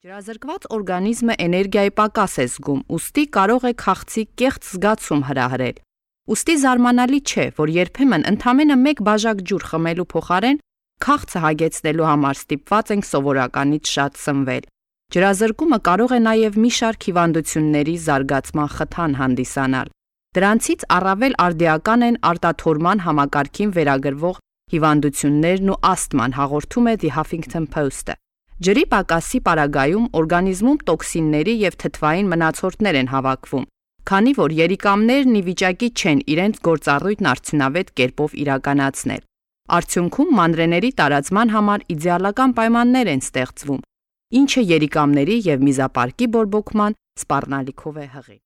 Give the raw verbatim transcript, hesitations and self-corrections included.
Ջրազրկված օրգանիզմը էներգիայի պակաս է զգում, ուստի կարող է քաղցի կեղծ զգացում հրահրել։ Ուստի զարմանալի չէ, որ երբեմն ընդամենը մեկ բաժակ ջուր խմելու փոխարեն քաղցը հագեցնելու համար ստիպված ենք սովորականից շատ սնվել։ Ջրազրկումը կարող է նաև մի շարք հիվանդությունների զարգացման խթան հանդիսանալ։ Դրանցից առավել արդիական են արտաթորման համակարգին վերագրվող հիվանդություններն ու ասթման, հաղորդում է The Huffington Post-ը։ Ջրի պակասի պարագայում օրգանիզմում տոքսինների և թթվային մնացորդներ են հավաքվում, քանի որ երիկամներն ի վիճակի չեն իրենց գործառույթն արդյունավետ կերպով իրականացնել։ Արդյունքում մանրէների տարածման համար իդեալական պայմաններ են ստեղծվում, ինչը երիկամների և միզապարկի բորբոքման սպառնալիքով է հղի։